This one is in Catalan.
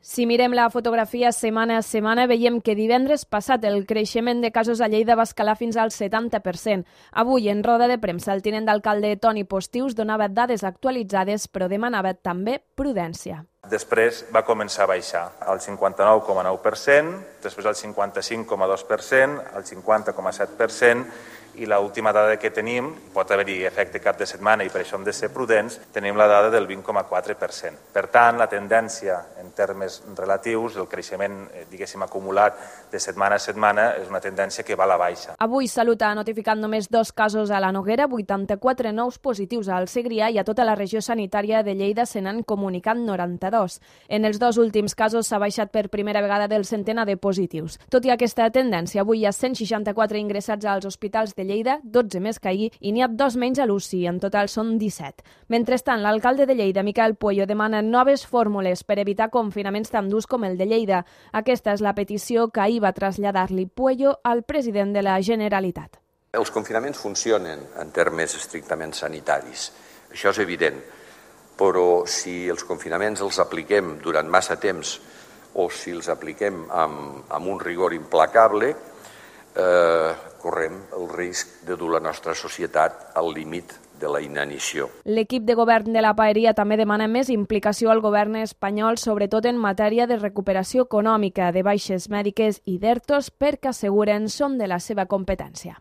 Si mirem la fotografia setmana a setmana, veiem que divendres passat el creixement de casos a Lleida va escalar fins al 70%. Avui, en roda de premsa, el tinent d'alcalde Toni Postius donava dades actualitzades, però demanava també prudència. Després va començar a baixar al 59,9%, després al 55,2%, al 50,7%, i l'última dada que tenim, pot haver-hi efecte cap de setmana i per això hem de ser prudents, tenim la dada del 20,4%. Per tant, la tendència en termes relatius, el creixement, diguéssim, acumulat de setmana a setmana, és una tendència que va a la baixa. Avui Salut ha notificat només 2 casos a la Noguera, 84 nous positius al Segrià i a tota la regió sanitària de Lleida se n'han comunicat 92. En els 2 últims casos s'ha baixat per primera vegada del centenar de positius. Tot i aquesta tendència, avui hi ha 164 ingressats als hospitals de Lleida, 12 més que ahir, i n'hi ha 2 menys a l'UCI, en total són 17. Mentrestant, l'alcalde de Lleida, Miquel Pueyo, demana noves fórmules per evitar confinaments tan durs com el de Lleida. Aquesta és la petició que ahir va traslladar-li Pueyo al president de la Generalitat. Els confinaments funcionen en termes estrictament sanitaris, això és evident, però si els confinaments els apliquem durant massa temps o si els apliquem amb un rigor implacable, correm el risc de dur la nostra societat al límit de la inanició. L'equip de govern de la Paeria també demana més implicació al govern espanyol, sobretot en matèria de recuperació econòmica, de baixes mèdiques i d'ERTOs, perquè asseguren són de la seva competència.